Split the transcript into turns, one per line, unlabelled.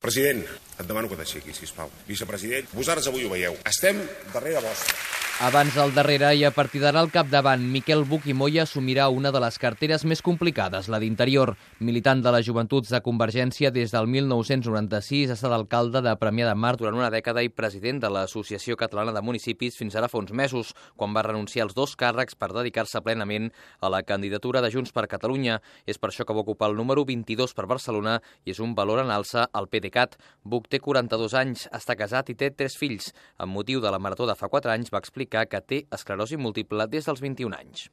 President, et demano que t'aixequis, sisplau. Vicepresident, vosaltres avui ho veieu. Estem darrere vostre.
Abans al darrere i a partir d'ara al capdavant, Miquel Buch i Moya assumirà una de les carteres més complicades, la d'Interior. Militant de les Joventuts de Convergència des del 1996, ha estat alcalde de Premià de Mar durant una dècada i president de l'Associació Catalana de Municipis fins ara fa uns mesos, quan va renunciar als 2 càrrecs per dedicar-se plenament a la candidatura de Junts per Catalunya. És per això que va ocupar el número 22 per Barcelona i és un valor en alça al PDeCAT. Buch té 42 anys, està casat i té 3 fills. Amb motiu de la marató de fa 4 anys va explicar que té esclerosi múltiple des dels 21 anys.